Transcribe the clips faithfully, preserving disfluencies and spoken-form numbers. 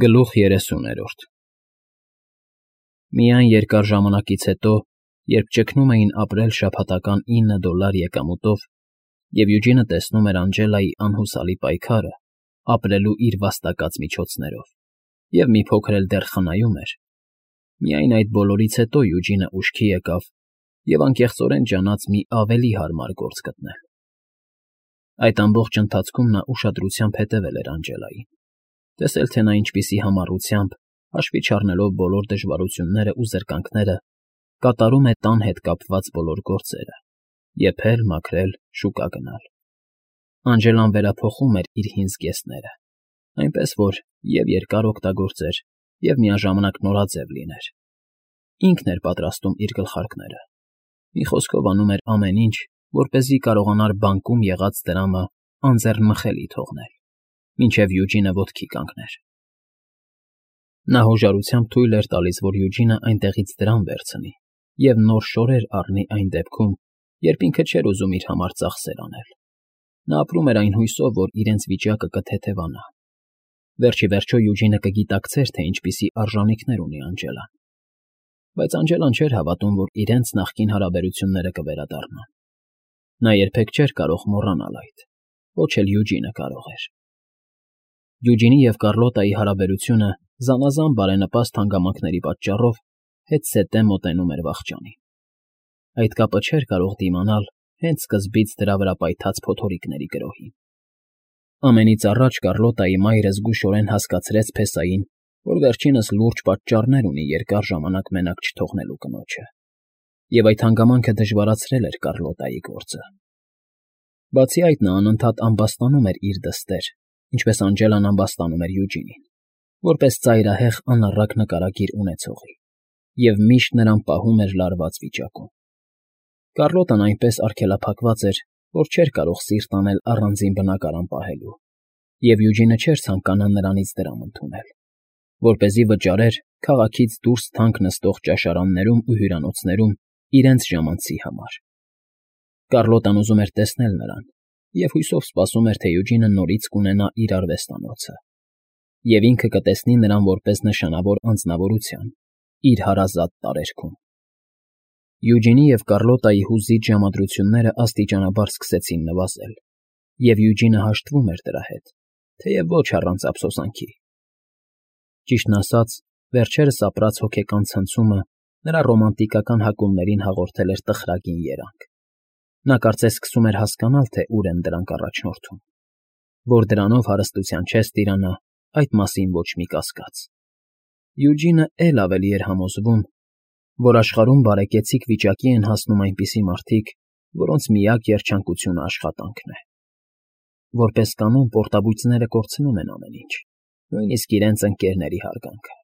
Գլուխ երեսուներորդ Միայն երկար ժամանակից հետո, երբ ճգնում էին ապրել շաբաթական ինը դոլար եկամուտով, և Յուջինը տեսնում էր Անգելայի անհուսալի պայքարը ապրելու իր վաստակած միջոցներով և մի փոքր էլ դեռ խնայում էր, միայն այդ բոլորից հետո Յուջինը ուշքի եկավ և անկեղծորեն ջանաց մի ավելի հարմար գործ գտնել. Այդ ամբողջ ընթացքում նա ուշադրությամբ հետևել էր Անգելային, տեսել, թե նա ինչպիսի համառությամբ, հաշվի չառնելով բոլոր դժվարություններն ու զրկանքները, կատարում է տան հետ կապված բոլոր գործերը՝ եփել, մաքրել, շուկա գնալ. Անգելան վերափոխում էր իր հին զգեստները, այնպես որ և՛ երկար օգտագործեր, և՛ միաժամանակ նորաձև լիներ. ինքն էր պատրաստում իր գլխարկները, մի խոսքով անում էր ամեն ինչ, որպեսզի կարողանար բանկում եղած դրամը անձեռնմխելի թողնել, մինչև Յուջինը ոտքի կանգներ։ Նա հոժարությամբ թույլ էր տալիս, որ Յուջինը այնտեղից դրամ վերցնի և նոր շորեր առնի այն դեպքում, երբ ինքը չէր ուզում իր համար ծախսեր անել. նա ապրում էր այն հույսով, որ իրենց վիճակը կթեթևանա։ Վերջ ի վերջո Յուջինը կգիտակցեր, թե ինչպիսի արժանիքներ ունի Անգելան, բայց Անգելան չէր հավատում, որ իրենց նախկին հարաբերությունները կվերադառնան։ Նա երբեք չէր կարող մոռանալ այդ, ոչ էլ Յուջինը կարող էր։ Յուջինի և Կառլոտայի հարաբերությունը զանազան բարենպաստ հանգամանքների պատճառով հետզհետե մոտենում էր վախճանին։ Այդ կապը չէր կարող դիմանալ հենց սկզբից դրա վրա պայթած փոթորիկների գրոհին։ Ամենից առաջ Կառլոտայի մայրը զգուշորեն հասկացրեց փեսային, որ վերջինս լուրջ պատճառներ ունի երկար ժամանակ մենակ չթողնելու կնոջը, և այդ հանգամանքը դժվարացրել էր Կառլոտայի գործը։ Բացի այդ, նա անընդհատ ամբաստանում էր իր դստեր, ինչպես Անգելան ամբաստանում էր Յուջինին, որպես ծայրահեղ անառակ նկարագիր ունեցողի, և միշտ նրան պահում էր լարված վիճակում։ Կառլոտան այնպես արգելափակված էր, որ չէր կարող սիրտ անել առանձին բնակարան պահելու, և Յուջինը չէր ցանկանա նրանից դրամ ընդունել, որպեսզի վճարեր քաղաքից դուրս թանկ նստող ճաշարաններում ու հյուրանոցներում իրենց ժամանցի համար։ Կառլոտան ուզում էր տեսնել նրան և հույսով սպասում էր, թե Յուջինը նորից կունենա իր արվեստանոցը, և ինքը կտեսնի նրան որպես նշանավոր անձնավորության իր հարազատ տարերքում։ Յուջինի և Կառլոտայի հուզիչ ժամադրությունները աստիճանաբար սկսեցին նվազել, և Յուջինը հաշտվում էր դրա հետ, թեև ոչ առանց ափսոսանքի։ Ճիշտն ասած, վերջերս ապրած հոգեկան ցնցումը նրա ռոմանտիկական հակումներին հաղորդել էր տխրագին երանգ։ Նա կարծես սկսում էր հասկանալ, թե ուր են դրանք առաջնորդում, որ դրանով հարստության չես տիրանա, այդ մասին ոչ մի կասկած։ Յուջինը էլ ավելի էր համոզվում, որ աշխարհում բարեկեցիկ վիճակի են հասնում այնպիսի մարդիկ, որոնց միակ երջանկությունը աշխատանքն է։ Որպես կանոն, պորտաբույծները կորցնում են ամեն ինչ, նույնիսկ իրենց ընկերների հարգանքը։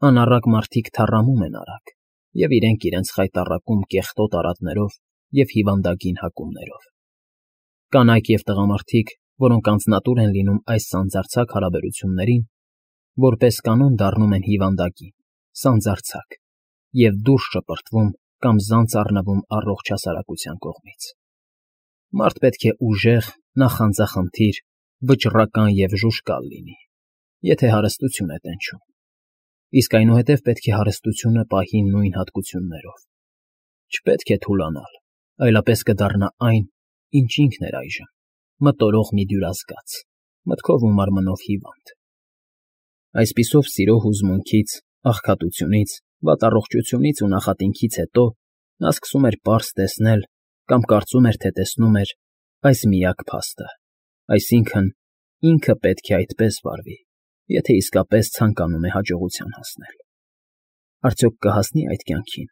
Անառակ մարդիկ թառամում են արագ, և իրենք իրենց խայտառակում կեղտոտ արատներով և հիվանդագին հակումներով։ Կանայք և տղամարդիկ, որոնք անձնատուր են լինում այս սանձարձակ հարաբերություններին, որպես կանոն դառնում են հիվանդագին, սանձարձակ և դուրս շպրտվում կամ զանց առնվում առողջ հասարակության կողմից։ Մարդ պետք է ուժեղ, նախանձախնդիր, վճռական և ժուժկալ լինի, եթե հարստություն է տենչում, իսկ այնուհետև պետք է հարստությունը պահի նույն հատկություններով։ Չպետք է թուլանալ, այլապես կդառնա այն, ինչ ինքն էր այժմ՝ մտորող մի դյուրազգաց, մտքով ու մարմնով հիվանդ։ Այսպիսով սիրո հուզմունքից, աղքատությունից, վատառողջությունից ու նախատինքից հետո նա սկսում էր պարզ տեսնել կամ կարծում էր, թե տեսնում է այս միակ փաստը, այսինքն՝ ինքը պետք է այդպես վարվի, եթե իսկապես ցանկանում է հաջողության հասնել։ Արդյոք կհասնի՞ այդ կյանքին,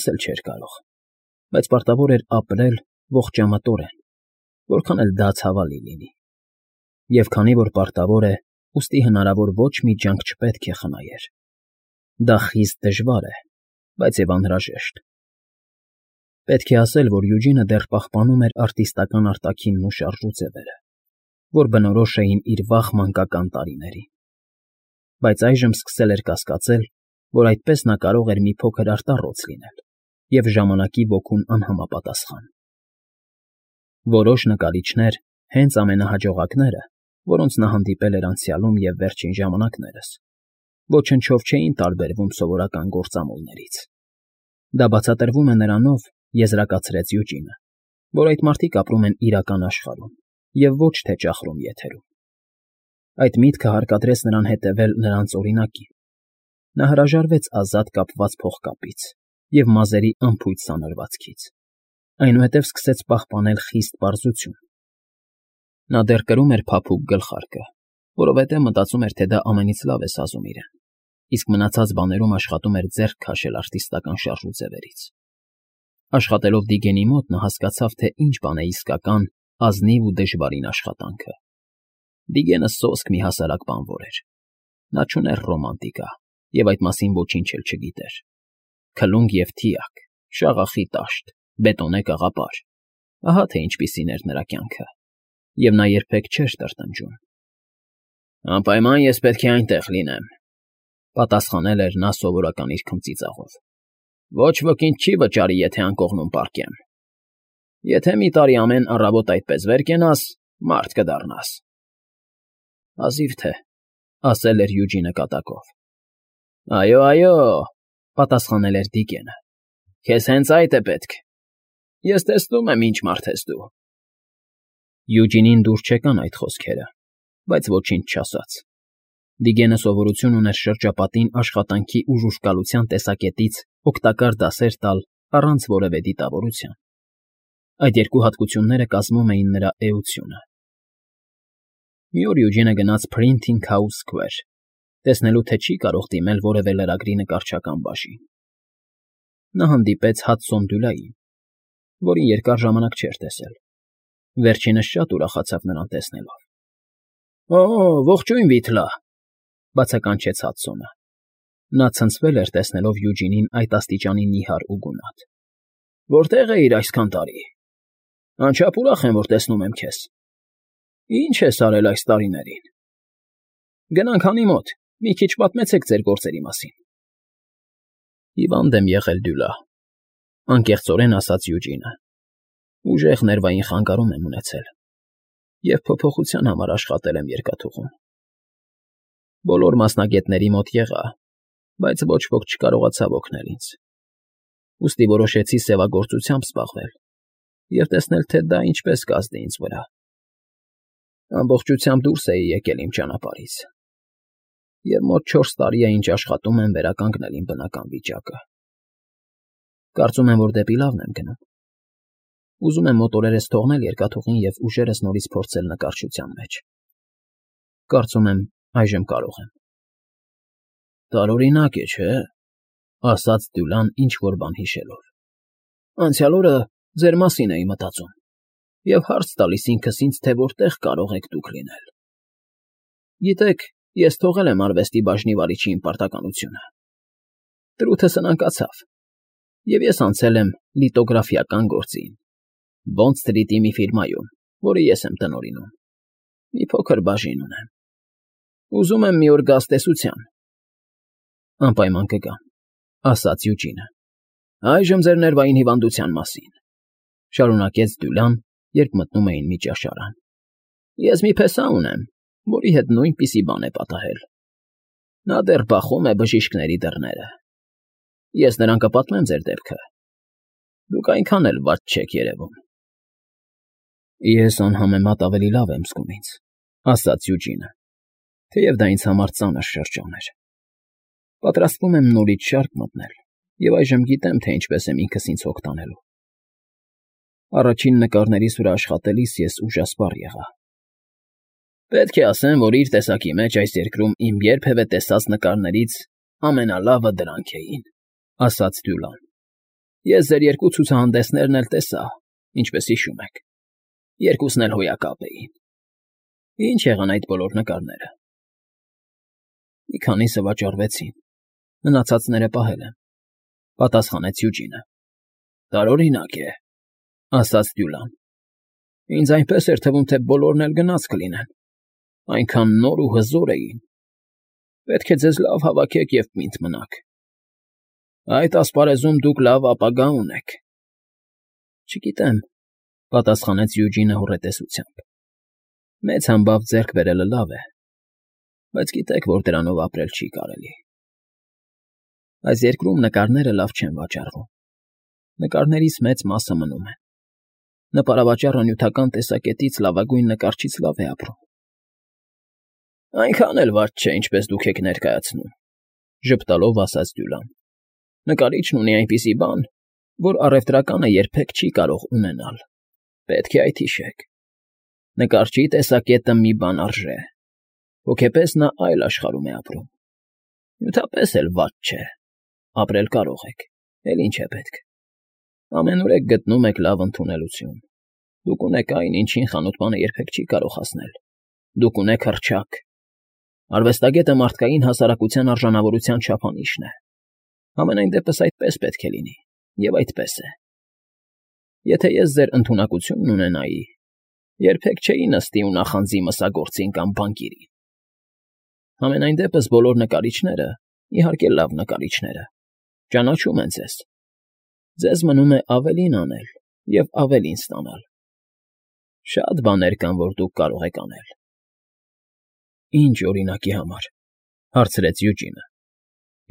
ասել չէր կարող, բայց պարտավոր էր ապրել ողջամտորեն, որքան էլ դա ցավալի լինի։ Եվ քանի որ պարտավոր է, ուստի հնարավոր ոչ մի ջանք չպետք է խնայեր։ Դա խիստ դժվար է, բայց և անհրաժեշտ։ Պետք է ասել, որ Յուջինը դեռ պահպանում էր արտիստական արտաքինն ու շարժու ձևերը, որ բնորոշ էին իր վաղ մանկական տարիներին, բայց այժմ սկսել էր կասկածել, որ այդպես նա կարող էր մի փոքր արտառոց լինել և ժամանակի ոգուն անհամապատասխան։ Որոշ նկարիչներ, հենց ամենահաջողակները, որոնց նա հանդիպել էր անցյալում և վերջին ժամանակներս, ոչնչով չէին տարբերվում սովորական գործամոլներից։ Դա բացատրվում է նրանով, եզրակացրեց Յուջինը, որ այդ մարդիկ ապրում են իրական աշխարհում և ոչ թե ճախրում եթերում։ Այդ միտքը հարկադրեց նրան հետևել նրանց օրինակին։ Նա հրաժարվեց ազատ կապված փողկապից և մազերի անփույթ սանրվածքից, այնուհետև սկսեց պահպանել խիստ պարզություն։ Նա դեռ կրում էր փափուկ գլխարկը, որովհետև մտածում էր, թե դա ամենից լավ է սազում իրեն, իսկ մնացած բաներում աշխատում էր ձեռք քաշել արտիստական շարժուձևերից։ Աշխատելով Դիգենի մոտ նա հասկացավ, թե ինչ բան է իսկական, ազնիվ ու դժվարին աշխատանքը։ Դիգենը սոսկ մի հասարակ բանվոր էր։ Նա չուներ ռոմանտիկա և այդ մասին ոչինչ էլ չգիտեր։ Քլունգ և թիակ, շաղախի տաշտ, բետոնե կաղապար, ահա թե ինչպիսին էր նրա կյանքը, և նա երբեք չէր տրտնջում։ «Անպայման ես պետք է այնտեղ լինեմ», ֊ պատասխանել էր նա սովորական իր քմծիծաղով։ «Ոչ ոքինչ չի վճարի, եթե անկողնում պառկեմ։ Եթե մի տարի ամեն առավոտ այդպես վեր կենաս, մարդ կդառնաս»։ «Հազիվ թե», ֊ ասել էր Յուջինը կատակով։ «Այո, այո», ֊ պատասխանել էր Դիգենը, «քեզ հենց այդ է պետք։ Ես տեսնում եմ ինչ մարդ ես դու»։ Յուջինին դուր չեկան այդ խոսքերը, բայց ոչինչ չասաց։ Դիգենը սովորություն ուներ շրջապատին աշխատանքի ու ժուժկալության տեսակետից օգտակար դասեր տալ առանց որևէ դիտավորության։ Այդ երկու հատկությունները կազմում էին նրա էությունը։ Մի օր Յուջինը գնաց Printing House Square, տեսնելու, թե չի կարող դիմել որևէ լրագրի նկարչական բաժին։ Նա հանդիպեց Հադսոն Դյուլային, որին երկար ժամանակ չէր տեսել։ Վերջինս շատ ուրախացավ նրան տեսնելով։ «Օ, ողջույն, Վիթլա», ֊ բացականչեց Հադսոնը։ Նա ցնցվել էր տեսնելով Յուջինին այդ աստիճանի նիհար ու գունատ։ «Որտե՞ղ էիր այսքան տարի։ Անչափ ուրախ եմ, որ տեսնում եմ քեզ։ Ի՞նչ ես արել այս տարիներին։ Գնանք հանի մոտ, մի քիչ պատմեցեք ձեր գործերի մասին»։ «Հիվանդ եմ եղել, Դյուլա», ֊ անկեղծորեն ասաց Յուջինը։ «Ուժեղ ներվային խանգարում եմ ունեցել և փոփոխության համար աշխատել եմ երկաթուղում։ Բոլոր մասնագետների մոտ եղա, բայց ոչ ոք չկարողացավ օգնել ինձ։ Ուստի որոշեցի սևագործությամբ զբաղվել և տեսնել, թե դա ինչպես կազդի ինձ վրա։ Ամբողջությամբ դուրս էի եկել իմ ճանապարհից, և մոտ չորս տարի է, ինչ աշխատում եմ վերականգնել իմ բնական վիճակը։ Կարծում եմ, որ դեպի լավն եմ գնում։ Ուզում եմ մոտորերս թողնել երկաթուղին և ուժերս նորից փորձել նկարչության մեջ։ Կարծում եմ, այժմ կարող եմ»։ «Տարօրինակ է, չէ՞, ֊ ասաց Դյուլան ինչ֊որ բան հիշելով։ «Անցյալ օրը ձեր մասին էի մտածում և հարց տալիս ինքս ինձ, թե որտեղ կարող եք դուք լինել։ Գիտեք, ես թողել եմ արվեստի բաժնի վարիչի իմ պարտականությունը։ Տիրույթը սնանկացավ, և ես անցել եմ լիտոգրաֆիական գործին Բոնդ Սթրիթի մի ֆիրմայում, որը ես եմ տնօրինում։ Մի փոքր բաժին ունեմ։ Ուզում եմ մի օր գաս տեսության»։ «Անպայման կգամ», ֊ ասաց Յուջինը։ «Այժմ ձեր ներվային հիվանդության մասին», ֊ շարունակեց Դյուլան, երբ մտնում էին մի ճաշարան։ «Ես մի փեսա ունեմ, որի հետ նույնպիսի բան է պատահել։ Նա դեռ բախում է բժիշկների դռները։ Ես նրան կպատմեմ ձեր դեպքը։ Դուք այնքան էլ վատ չեք երևում»։ «Ես անհամեմատ ավելի լավ եմ զգում ինձ», ֊ ասաց Յուջինը, թեև դա ինձ համար ծանր շրջան էր։ «Պատրաստվում եմ նորից շարք մտնել և այժմ գիտեմ, թե ինչպես եմ ինքս ինձ հոգ տանելու։ Առաջին նկարներիս վրա աշխատելիս ես ուժասպառ եղա։ Պետք է ասեմ, որ իր տեսակի մեջ այս երկրում իմ երբևէ տեսած նկարներից ամենալավը դրանք էին», ֊ ասաց Դյուլան։ «Ես ձեր երկու ցուցահանդեսներն էլ տեսա, ինչպես հիշում եք։ Երկուսն էլ հոյակապ էին։ Ի՞նչ եղան այդ բոլոր նկարները»։ «Մի քանիսը վաճառվեցին, մնացածները պահել եմ», ֊ պատասխանեց Յուջինը։ «Տարօրինակ է», ֊ ասաց Դյուլան։ «Ինձ այնպես էր թվում, թե բոլորն էլ գնաց կլինեն, այնքան նոր ու հզոր էին։ Պետք է ձեզ լավ հավաքեք և պինդ մնաք։ Այդ ասպարեզում դուք լավ ապագա ունեք»։ «Չգիտեմ», ֊ պատասխանեց Յուջինը հոռետեսությամբ։ Մեծ համբավ ձեռք բերելը լավ է, բայց գիտեք, որ դրանով ապրել չի կարելի։ Այս երկրում նկարները լավ չեն վաճառվում, նկարներից մեծ մասը մնում են։ Նպարավաճառը նյութական տեսակետից լավագույն նկարչից լավ է ապրում։ Այնքան էլ վատ չէ, ինչպես դուք եք ներկայացնում, ժպտալով ասաց Դյուլան։ Նկարիչն ունի այնպիսի բան, որ առևտրականը երբեք չի կարող ունենալ։ Պետք է այդ հիշեք։ Նկարչի տեսակետը մի բան արժե։ Հոգեպես նա այլ աշխարհում է ապրում։ Նյութապես էլ վատ չէ։ Ապրել կարող եք, էլ ինչ է պետք։ Ամենուրեք գտնում եք լավ ընդունելություն։ Դուք ունեք այն, ինչին խանութպանը երբեք չի կարող հասնել։ Դուք ունեք հռչակ։ Արվեստագետը մարդկային հասարակության արժանավորության չափանիշն է։ Համենայն դեպս այդպես պետք է լինի, և այդպես է։ Եթե ես ձեր ընդունակությունն ունենայի, երբեք չէի նստի ու նախանձի մսագործին կամ բանկիրին։ Համենայն դեպս բոլոր նկարիչները, իհարկե լավ նկարիչները, ճանաչում են ձեզ։ Ձեզ մնում է ավելին անել և ավելին ստանալ։ Շատ բաներ կան, որ դուք կարող եք անել։ Ինչ օրինակի համար, հարցրեց Յուջինը։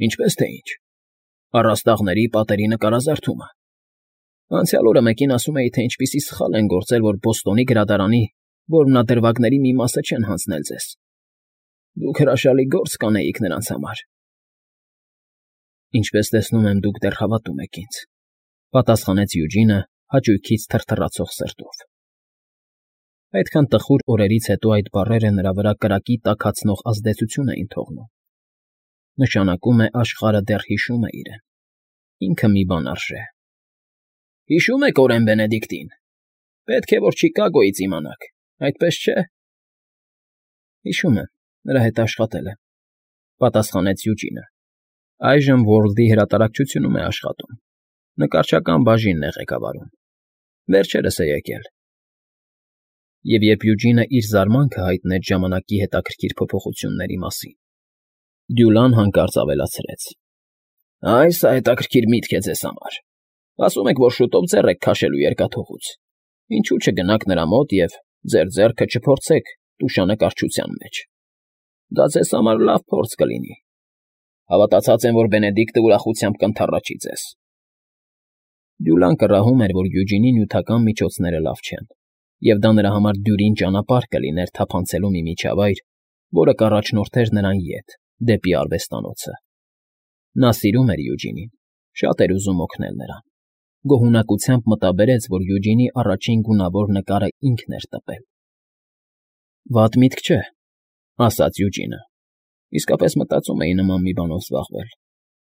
Ինչպես թե ինչ։ Առաստաղների պատերի նկարազարդումը։ Անցյալ օրը մեկին ասում էի, թե ինչպիսի սխալ են գործել, որ Բոստոնի գրադարանի որմնադրվագների մի մասը չեն հանձնել ձեզ։ Դուք հրաշալի գործ կանեիք նրանց համար։ Ինչպես տեսնում եմ, դուք դեռ հավատում եք ինձ, պատասխանեց Յուջինը հաճույքից թրթռացող սրտով։ Այդքան տխուր օրերից հետո այդ բառերը նրա վրա կրակի տաքացնող ազդեցություն էին թողնում։ Նշանակում է աշխարհը դեռ հիշում է իրեն։ Ինքը մի բան արժե։ Հիշում եք Օրեն Բենեդիկտին։ Պետք է որ Չիկագոյից իմանաք, այդպես չէ։ Հիշում եմ, նրա հետ աշխատել եմ, պատասխանեց Յուջինը։ Այժմ World-ի հրատարակչությունում է աշխատում։ Նկարչական բաժինն է ղեկավարում։ Վերջերս է եկել։ Եվ երբ Յուջինը իր զարմանքը հայտնեց ժամանակի հետաքրքիր փոփոխությունների մասին, Դյուլան հանկարծ ավելացրեց. Այս հետաքրքիր միտք է ձեզ համար։ Ասում եք, որ շուտով ձեռ եք քաշելու երկաթուղուց։ Ինչու չգնաք նրա մոտ և ձեր ձեռքը չփորձեք տուշանկարչության մեջ։ Դա ձեզ համար լավ փորձ կլինի։ Հավատացած եմ, որ Բենեդիկտը ուրախությամբ կընդառաջի ձեզ։ Դյուլան կռահում էր, որ Յուջինի նյութական միջոցները լավ չեն, և դա նրա համար դյուրին ճանապարհ կլիներ թափանցելու մի միջավայր, որը կառաջնորդեր նրան ետ, դեպի արվեստանոցը։ Նա սիրում էր Յուջինին, շատ էր ուզում օգնել նրան։ Գոհունակությամբ մտաբերեց, որ Յուջինի առաջին գունավոր նկարը ինքն էր տպել։ Վատ միտք չէ, ասաց Յուջինը։ Իսկապես մտածում էի նման մի բանով զբաղվել,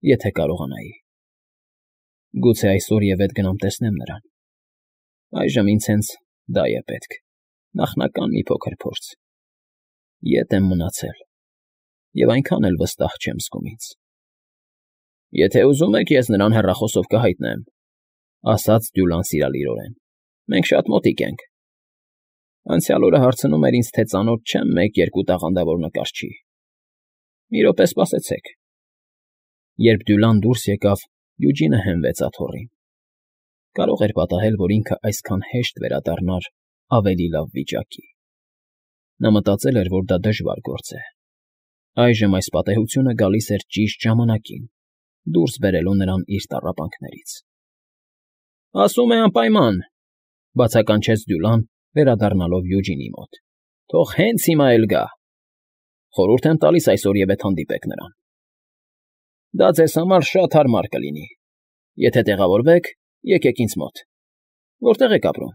եթե կարողանայի։ Գուցե այսօր և ետ գնամ տեսնեմ նրան։ Այժմ ինձ հենց դա է պետք, նախնական մի փոքր փորձ։ Ետ եմ մնացել, և այնքան էլ վստահ չեմ զգում ինձ։ Եթե ուզում եք, ես նրան հեռախոսով կհայտնեմ, ասաց Դյուլան սիրալիրորեն։ Մենք շատ մոտիկ ենք։ Անցյալ օրը հարցնում էր ինձ, թե ծանոթ չեմ մեկ֊երկու տաղանդավոր նկարչի։ Մի րոպե սպասեցեք։ Երբ Դյուլան դուրս եկավ, Յուջինը հենվեց աթոռին։ Կարող էր պատահել, որ ինքը այսքան հեշտ վերադառնար ավելի լավ վիճակի։ Նա մտածել էր, որ դա դժվար գործ է։ Այժմ այս պատեհությունը գալիս էր ճիշտ ժամանակին, դուրս բերելու նրան իր տառապանքներից։ Ասում է անպայման, բացականչեց Դյուլան, վերադառնալով Յուջինի մոտ։ Թող հենց հիմա էլ գա։ Խորհուրդ եմ տալիս այսօր և ետ հանդիպեք նրան։ Դա ձեզ համար շատ հարմար կլինի։ Եթե տեղավորվեք, եկեք ինձ մոտ։ Որտեղ եք ապրում։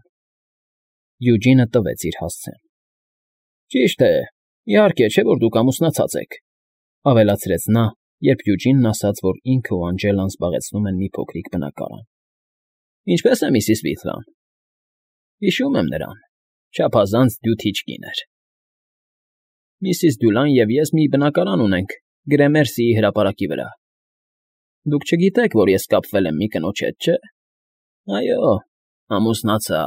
Յուջինը տվեց իր հասցեն։ Ճիշտ է, իհարկե, չէ՞ որ դուք ամուսնացած եք, ավելացրեց նա, երբ Յուջինն ասաց, որ ինքը ու Անջելան զբաղեցնում են մի փոքրիկ բնակարան։ Ինչպե՞ս է միսիս Վիթլան։ Հիշում եմ նրան, չափազանց դյութիչ կին էր։ Միսիս Դյուլան և ես մի բնակարան ունենք Գրեմերսիի հրապարակի վրա։ Դուք չգիտեք, որ ես կապվել եմ մի կնոջ հետ, չէ՞։ Այո, ամուսնացա։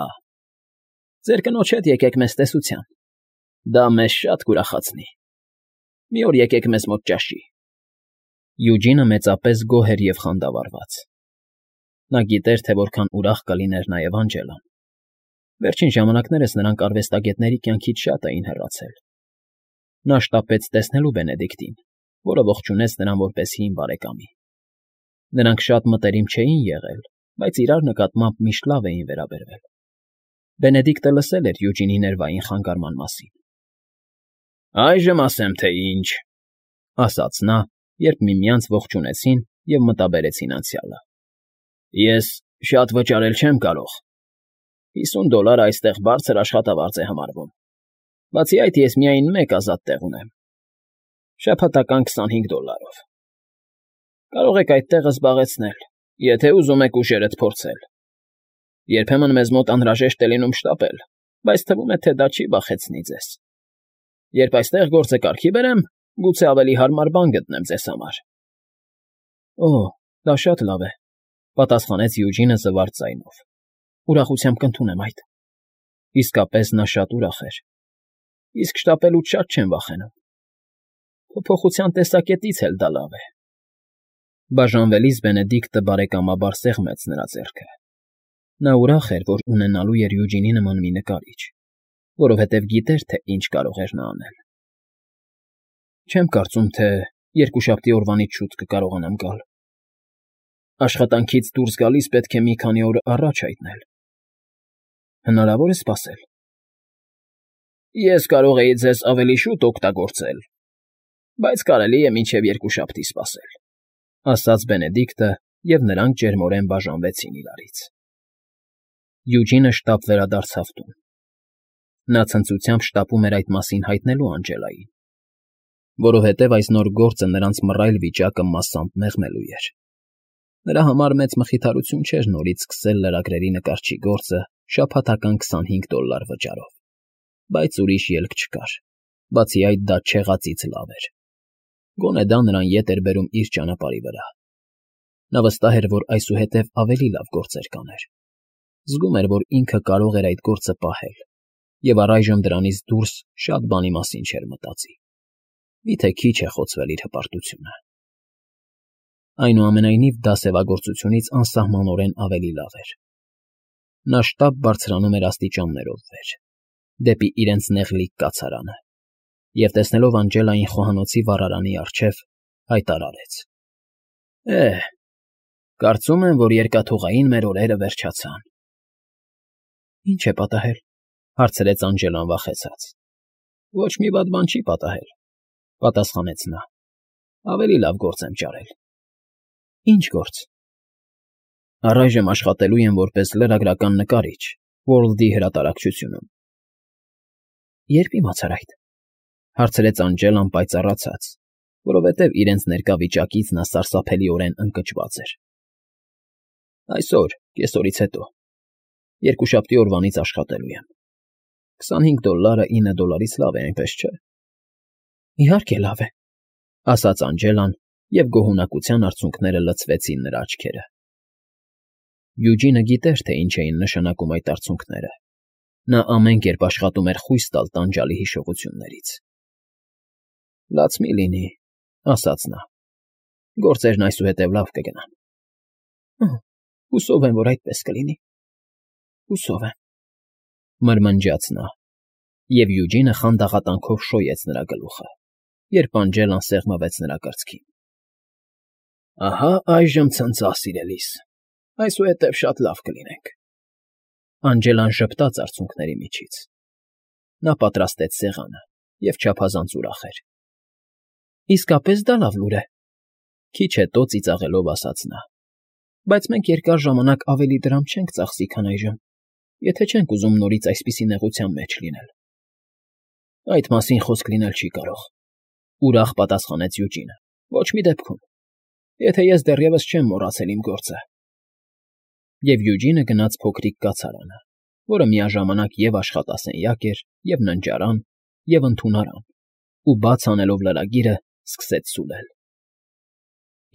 Ձեր կնոջ հետ եկեք մեզ տեսության։ Դա մեզ շատ կուրախացնի։ Մի օր եկեք մեզ մոտ ճաշի։ Յուջինը մեծապես գոհ էր և խանդավառված։ Նա գիտեր, թե որքան ուրախ կլիներ նաև Անջելան։ Վերջին ժամանակներս նրանք արվեստագետների կյանքից շատ էին հեռացել։ Նա շտապեց տեսնելու Բենեդիկտին, որը ողջունեց նրան որպես հին բարեկամի։ Նրանք շատ մտերիմ չէին եղել, բայց իրար նկատմամբ միշտ լավ էին վերաբերվել։ Բենեդիկտը լսել էր Յուջինի ներվային խանգարման մասին։ «Այժմ ասեմ, թե ինչ,֊ ասաց նա, երբ միմյանց ողջունեցին և մտաբերեցին անցյալը։ Ես շատ վճարել չեմ կարող։ Հիսուն դոլարը այստեղ բարձր աշխատավարձ է համարվում։ Բացի այդ, ես միայն մեկ ազատ տեղ ունեմ. շաբաթական քսանհինգ դոլարով։ Կարող եք այդ տեղը զբաղեցնել, եթե ուզում եք ուժերդ փորձել։ Երբեմն մեզ մոտ անհրաժեշտ է լինում շտապել, բայց թվում է, թե դա չի վախեցնի ձեզ։ Երբ այստեղ գործը կարգի բերեմ, գուցե ավելի հարմար բան գտնեմ ձեզ համար»։ «Օ, դա շատ լավ է,֊ պատասխանեց Յուջինը զվարթ ձայնով։ Ուրախությամբ կընդունեմ այդ։ Իսկապես նա շատ ուրախ էր։ Իսկ շտապելուց շատ չեմ վախենում։ Փոփոխության տեսակետից էլ դա լավ է։ Բաժանվելիս Բենեդիկտը բարեկամաբար սեղմեց նրա ձեռքը։ Նա ուրախ էր, որ ունենալու էր Յուջինի նման մի նկարիչ, որովհետև գիտեր, թե ինչ կարող էր նա անել։ Չեմ կարծում, թե երկուշաբթի օրվանից շուտ կկարողանամ գալ։ Աշխատանքից դուրս գալիս պետք է մի քանի օր առաջ հայտնել։ Հնարավոր է սպասել։ Ես կարող էի ձեզ ավելի շուտ օգտագործել, բայց կարելի է մինչև երկուշաբթի սպասել,֊ ասաց Բենեդիկտը, և նրանք ջերմորեն բաժանվեցին իրարից։ Յուջինը շտապ վերադարձավ տուն։ Նա ցնծությամբ շտապում էր այդ մասին հայտնելու Անջելային, որովհետև այս նոր գործը նրանց մռայլ վիճակը մասամբ մեղմելու էր։ Նրա համար մեծ մխիթարություն չէր նորից սկսել լրագրերի նկարչի գործը շաբաթական քսանհինգ դոլար վճարով, բայց ուրիշ ելք չկար, բացի այդ դա չեղածից լավ էր։ Գոնե դա նրան ետ էր բերում իր ճանապարհի վրա։ Նա վստահ էր, որ այսուհետև ավելի լավ գործեր կաներ։ Զգում էր, որ ինքը կարող էր այդ գործը պահել, և առայժմ դրանից դուրս շատ բանի մասին չէր մտածի։ Միթե քիչ է խոցվել իր հպարտությունը։ Այնուամենայնիվ դա սևագործությունից անսահմանորեն ավելի լավ էր։ Նա շտապ բարձրանում էր աստիճաններով վեր, դեպի իրենց նեղլիկ կացարանը, և տեսնելով Անջելային խոհանոցի վառարանի առջև, հայտարարեց. «Է՜, կարծում եմ, որ երկաթուղային մեր օրերը վերջացան»։ «Ինչ է պատահել,֊ հարցրեց Անջելան վախեցած։ Ոչ մի վատ բան չի պատահել,֊ պատասխանեց նա։ Ավելի լավ գործ եմ ճարել։ Ինչ գործ։ Առայժմ աշխատելու եմ որպես լրագրական նկարիչ World-ի հրատարակչությունում։ Երբ իմացար այդ,֊ հարցրեց Անջելան պայծառացած, որովհետև իրենց ներկա վիճակից նա սարսափելիորեն ընկճված էր։ Այսօր, կեսօրից հետո, երկուշաբթի օրվանից աշխատելու եմ։ Քսանհինգ դոլարը ինը դոլարից լավ է, այնպես չէ։ Իհարկե լավ է,֊ ասաց Անջելան, և գոհունակության արցունքները լցվեցին նրա աչքերը։ Յուջինը գիտեր, թե ինչ էին նշանակում այդ արցունքները։ Նա ամեն կերպ աշխատում էր խույս տալ տանջալի հիշողություններից։ Լաց մի լինի,֊ ասաց նա։ Գործերն այսուհետև լավ կգնան։ Հուսով եմ, որ այդպես կլինի։ Հուսով եմ,֊ մրմնջաց նա, և Յուջինը խանդաղատանքով շոյեց նրա գլուխը, երբ Անջելան սեղմվեց նրա կրծքին։ Ահա այժմ ցնծա, սիրելիս, այսուհետև շատ լավ կլինենք։ Անջելան ժպտաց արցունքների միջից։ Նա պատրաստեց սեղանը և չափազանց ուրախ էր։ Իսկապես դա լավ լուր է,֊ քիչ հետո ծիծաղելով ասաց նա։ Բայց մենք երկար ժամանակ ավելի դրամ չենք ծախսի, քան այժմ, եթե չենք ուզում նորից այսպիսի նեղության մեջ լինել։ Այդ մասին խոսք լինել չի կարող,֊ ուրախ պատասխանեց Յուջինը։ Ոչ մի դեպքում, եթե ես դեռևս չեմ մոռացել իմ գործը։ Եվ Յուջինը գնաց փոքրիկ կացարանը, որը միաժամանակ և աշխատասենյակ էր, և ննջարան, և ընդունարան, ու բաց անելով լրագիրը, սկսեց սուլել։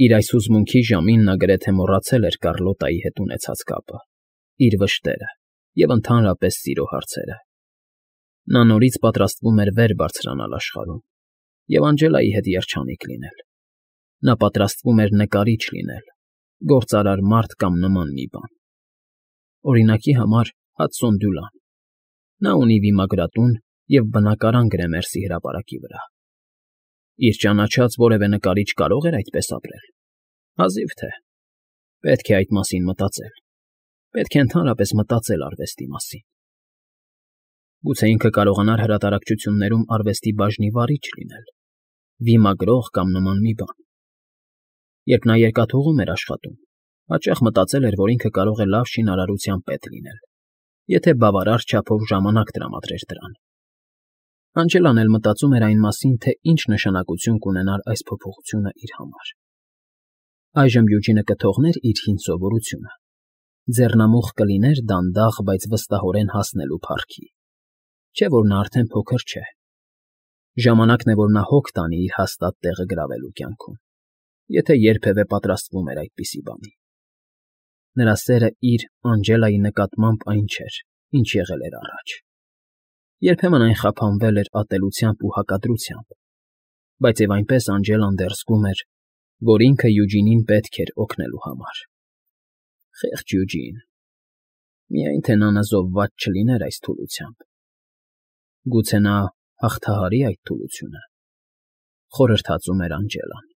Իր այս հուզմունքի ժամին նա գրեթե մոռացել էր Կառլոտայի հետ ունեցած կապը, իր վշտերը և ընդհանրապես սիրո հարցերը։ Նա նորից պատրաստվում էր վեր բարձրանալ աշխարհում և Անջելայի հետ երջանիկ լինել։ Նա պատրաստվում էր նկարիչ լինել, գործարար մարդ կամ նման մի բան։ Օրինակի համար Հադսոն Դյուլան Նա ունի վիմագրատուն և բնակարան Գրեմերսի հրապարակի վրա։ Իր ճանաչած որևէ նկարիչ կարո՞ղ էր այդպես ապրել։ Հազիվ թե։ Պետք է այդ մասին մտածել, պետք է ընդհանրապես մտածել արվեստի մասին։ Գուցե ինքը կարողանար հրատարակչություններում արվեստի բաժնի վարիչ լինել, վիմագրող կամ նման մի բան։ Երբ նա երկաթուղում էր աշխատում, հաճախ մտածել էր, որ ինքը կարող է լավ շինարարության պետ լինել, եթե բավարար չափով ժամանակ տրամադրեր դրան։ Անջելան էլ մտածում էր այն մասին, թե ինչ նշանակություն կունենար այս փոփոխությունը իր համար։ Այժմ Յուջինը կթողներ իր հին սովորությունը, ձեռնամուխ կլիներ դանդաղ, բայց վստահորեն հասնելու փառքի, չէ՞ որ նա արդեն փոքր չէ։ Ժամանակն է, որ նա հոգ տանի իր հաստատ տեղը գրավելու կյանքում, եթե երբևէ պատրաստվում էր այդպիսի բանի։ Նրա սերը իր՝ Անջելայի նկատմամբ այն չէր, ինչ եղել էր առաջ։ Երբեմն այն խափանվել էր ատելությամբ ու հակադրությամբ, բայց և այնպես Անջելան դեռ զգում էր, որ ինքը Յուջինին պետք էր օգնելու համար։ Խեղճ Յուջին… Միայն թե նա նզովված չլիներ այս թուլությամբ։ Գուցե նա հաղթահարի այդ թուլությունը, խորհրդածում էր Անջելան։